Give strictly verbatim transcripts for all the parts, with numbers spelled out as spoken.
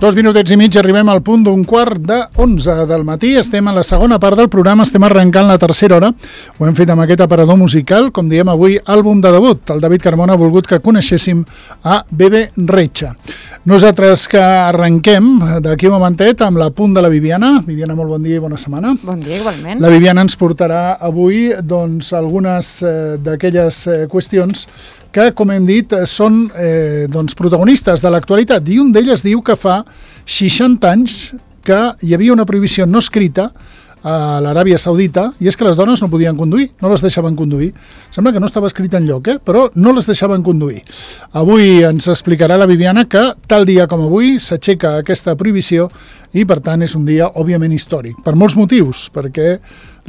Dos minutets i mig, arribem al punt d'un quart de onze del matí. Estem a la segona part del programa, estem arrencant la tercera hora. Ho hem fet amb aquest aparador musical, com diem avui, àlbum de debut. El David Carmona ha volgut que coneixéssim a Bebe Rexha. Nosaltres que arrenquem d'aquí un momentet amb la punt de la Viviana. Viviana, molt bon dia i bona setmana. Bon dia, igualment. La Viviana ens portarà avui doncs, algunes eh, d'aquelles eh, qüestions que, com hem dit, són eh, doncs, protagonistes de l'actualitat. I un d'elles diu que fa seixanta anys que hi havia una prohibició no escrita a l'Aràbia Saudita, i és que les dones no podien conduir, no les deixaven conduir. Sembla que no estava escrit en lloc, eh? Però no les deixaven conduir. Avui ens explicarà la Viviana que tal dia com avui s'aixeca aquesta prohibició i, per tant, és un dia, òbviament, històric. Per molts motius, perquè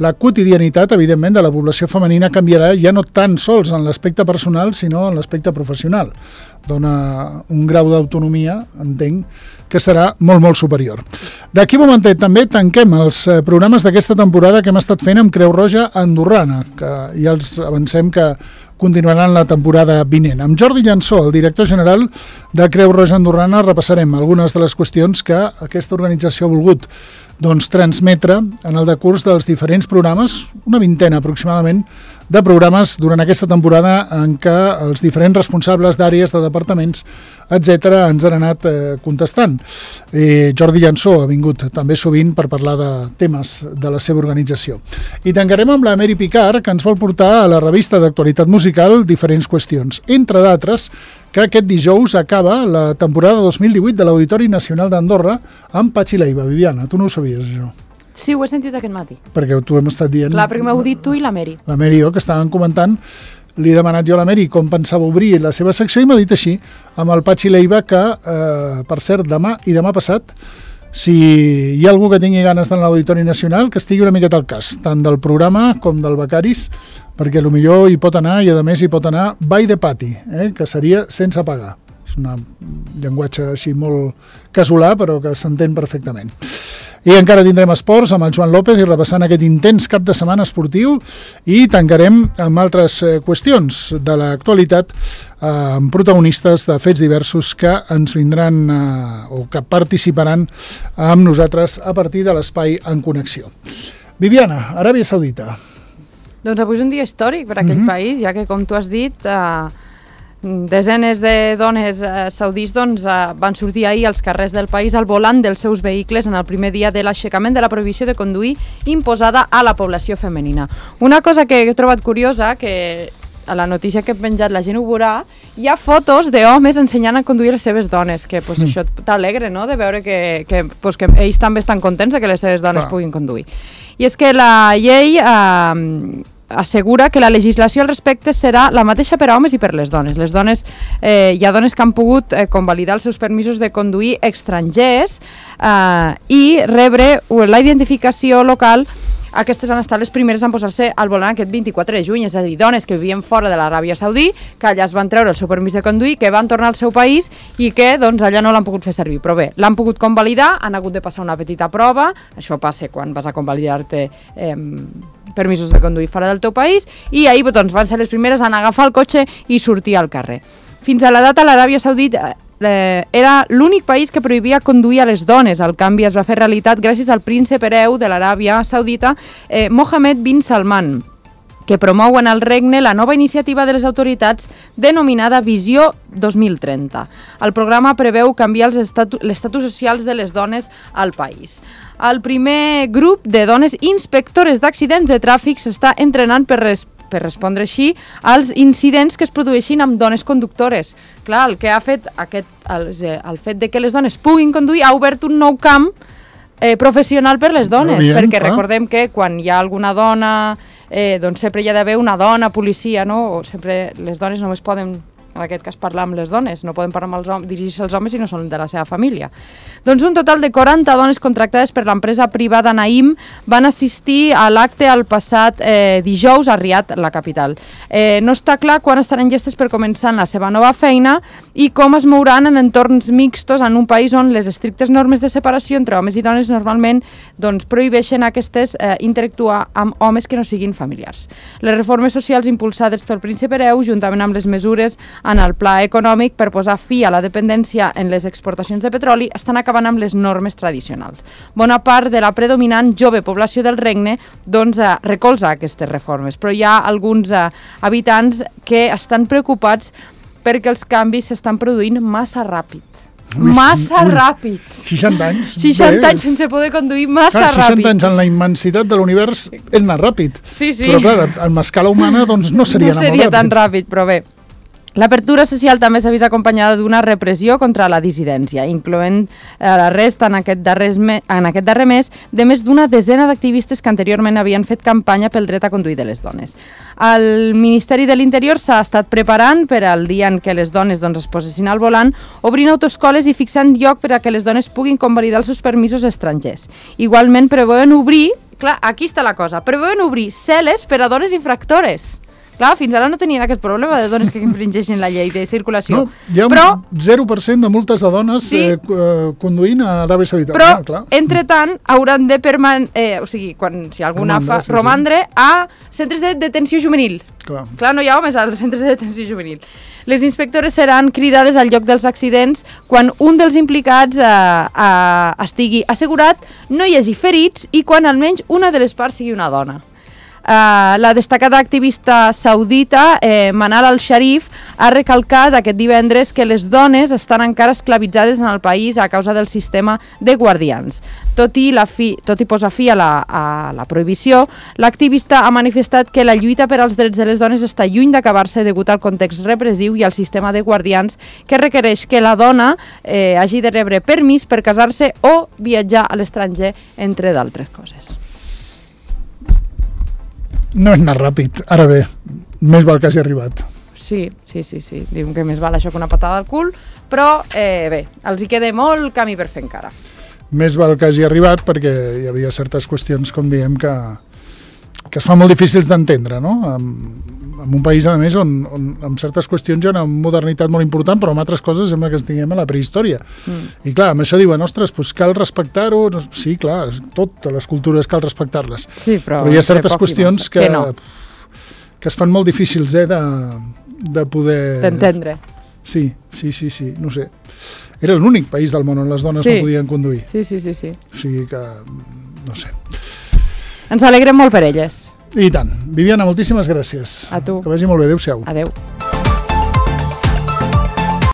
la quotidianitat, evidentment, de la població femenina canviarà ja no tan sols en l'aspecte personal, sinó en l'aspecte professional. Dona un grau d'autonomia, entenc, que serà molt, molt superior. D'aquí un momentet també tanquem els programes d'aquesta temporada que hem estat fent amb Creu Roja Andorrana, que ja els avancem que continuaran la temporada vinent. Amb Jordi Llansó, el director general de Creu Roja Andorrana, repassarem algunes de les qüestions que aquesta organització ha volgut doncs, transmetre en el decurs dels diferents programes, una vintena aproximadament, de programes durant aquesta temporada en què els diferents responsables d'àrees, de departaments, etcètera, ens han anat eh, contestant. Eh, Jordi Llansó ha vingut també sovint per parlar de temes de la seva organització. I tancarem amb la Mary Picard, que ens vol portar a la revista d'actualitat musical diferents qüestions. Entre d'altres, que aquest dijous acaba la temporada dos mil divuit de l'Auditori Nacional d'Andorra amb Patxi Leiva. Viviana, tu no ho sabies, això? Sí, ho he sentit aquest matí. Perquè t'ho hem estat dient. Clar, perquè m'heu dit tu i la Mary. La Mary, jo, que estaven comentant, li he demanat jo a la Mary com pensava obrir la seva secció i m'ha dit així, amb el Patxi Leiva, que, eh, per cert, demà i demà passat, si hi ha algú que tingui ganes d'anar a l'Auditori Nacional, que estigui una miqueta al cas, tant del programa com del Becaris, perquè potser hi pot anar i, a més, hi pot anar by the pati, eh, que seria sense pagar. És un llenguatge així molt casolà, però que s'entén perfectament. I encara tindrem esports amb el Joan López i repassant aquest intens cap de setmana esportiu i tancarem amb altres qüestions de l'actualitat amb protagonistes de fets diversos que ens vindran eh, o que participaran amb nosaltres a partir de l'espai En Connexió. Viviana, Aràbia Saudita. Doncs avui és un dia històric per a aquell mm-hmm. país, ja que, com tu has dit, eh, desenes de dones eh, saudís doncs, eh, van sortir ahir als carrers del país al volant dels seus vehicles en el primer dia de l'aixecament de la prohibició de conduir imposada a la població femenina. Una cosa que he trobat curiosa, que a la notícia que he penjat la gent ho veurà, hi ha fotos d'homes ensenyant a conduir les seves dones, que pues, mm. això t'alegre, no?, de veure que, que, pues, que ells també estan contents de que les seves dones Clar. puguin conduir. I és que la llei eh, assegura que la legislació al respecte serà la mateixa per a homes i per les dones. Les dones, eh, hi ha dones que han pogut eh, convalidar els seus permisos de conduir estrangers eh, i rebre la identificació local. Aquestes han estat les primeres en posar-se al volant aquest vint-i-quatre de juny, és a dir, dones que vivien fora de l'Aràbia Saudí, que allà es van treure el seu permís de conduir, que van tornar al seu país i que doncs, allà no l'han pogut fer servir. Però bé, l'han pogut convalidar, han hagut de passar una petita prova, això passa quan vas a convalidar-te eh, permisos de conduir fora del teu país, i ahir doncs, van ser les primeres en agafar el cotxe i sortir al carrer. Fins a la data l'Aràbia Saudita eh, era l'únic país que prohibia conduir a les dones. El canvi es va fer realitat gràcies al príncep hereu de l'Aràbia Saudita, eh, Mohammed bin Salman, que promou en el regne la nova iniciativa de les autoritats denominada Visió dos mil trenta. El programa preveu canviar l'estatus socials de les dones al país. El primer grup de dones inspectores d'accidents de tràfic s'està entrenant per res per respondre així als incidents que es produeixin amb dones conductores. Clar, el que ha fet aquest, el, el fet de que les dones puguin conduir ha obert un nou camp eh, professional per les dones, bien, perquè clar. Recordem que quan hi ha alguna dona, eh, doncs sempre hi ha d'haver una dona policia, no? O sempre les dones només poden, en aquest cas, parlar amb les dones, no poden parlar amb els homes, dirigir-se als homes si no són de la seva família. Doncs un total de quaranta dones contractades per l'empresa privada Naim van assistir a l'acte el passat eh, dijous a Riad, la capital. Eh, no està clar quan estaran llestes per començar la seva nova feina i com es mouran en entorns mixtos en un país on les estrictes normes de separació entre homes i dones normalment doncs, prohibeixen aquestes eh, interactuar amb homes que no siguin familiars. Les reformes socials impulsades pel príncep hereu, juntament amb les mesures en el pla econòmic per posar fi a la dependència en les exportacions de petroli, estan acabant amb les normes tradicionals. Bona part de la predominant jove població del regne doncs, eh, recolza aquestes reformes, però hi ha alguns eh, habitants que estan preocupats perquè els canvis s'estan produint massa ràpid. Ui, massa ui, ràpid. seixanta anys. seixanta anys sense poder conduir massa clar, ràpid. seixanta anys en la immensitat de l'univers és anar ràpid. Sí, sí. Però clar, en escala humana doncs, no seria, no anar seria molt ràpid. tan ràpid, però bé. L'apertura social també s'ha vist acompanyada d'una repressió contra la dissidència, incloent eh, l'arrest en, aquest darrer me en aquest darrer mes de més d'una desena d'activistes que anteriorment havien fet campanya pel dret a conduir de les dones. El Ministeri de l'Interior s'ha estat preparant per al dia en què les dones doncs, es posessin al volant, obrint autoescoles i fixant lloc per a que les dones puguin convalidar els seus permisos estrangers. Igualment preveuen obrir, clar, aquí està la cosa, preveuen obrir cel·les per a dones infractores. Clar, fins ara no tenien aquest problema de dones que infringeixin la llei de circulació. No, hi ha un però, zero per cent de multes de dones sí, eh, conduint a l'Aràbia Saudita. Però, ah, clar. entretant, hauran de perman eh, o sigui, quan, si alguna romandre, fa, sí, romandre sí. a centres de detenció juvenil. Clar. Clar, no hi ha homes als centres de detenció juvenil. Les inspectores seran cridades al lloc dels accidents quan un dels implicats eh, eh, estigui assegurat, no hi hagi ferits i quan almenys una de les parts sigui una dona. Uh, la destacada activista saudita eh, Manal al-Sharif ha recalcat aquest divendres que les dones estan encara esclavitzades en el país a causa del sistema de guardians. Tot i, la fi, tot i posar fi a la, a la prohibició, l'activista ha manifestat que la lluita per als drets de les dones està lluny d'acabar-se degut al context repressiu i al sistema de guardians que requereix que la dona eh, hagi de rebre permís per casar-se o viatjar a l'estranger, entre d'altres coses. No és anar ràpid. Ara bé, més val que hagi arribat. Sí, sí, sí, sí. Diuen que més val això que una patada al cul, però eh, bé, els hi queda molt camí per fer encara. Més val que hagi arribat perquè hi havia certes qüestions, com diem, que, que es fan molt difícils d'entendre, no? En, en un país, a més, on, on en certes qüestions hi ha una modernitat molt important, però en altres coses sembla que estiguem a la prehistòria. Mm. I clar, amb això diuen, ostres, doncs cal respectar-ho. Sí, clar, totes les cultures cal respectar-les. Sí, però, però hi ha certes qüestions que, que, no. que es fan molt difícils eh, de, de poder... D'entendre. Sí, sí, sí, sí, no sé. Era l'únic país del món on les dones sí. no podien conduir. Sí, sí, sí, sí. O sigui que, no sé. Ens alegrem molt per elles. I tant. Viviana, moltíssimes gràcies. A tu. Que vagi molt bé. Adéu-siau. Adéu.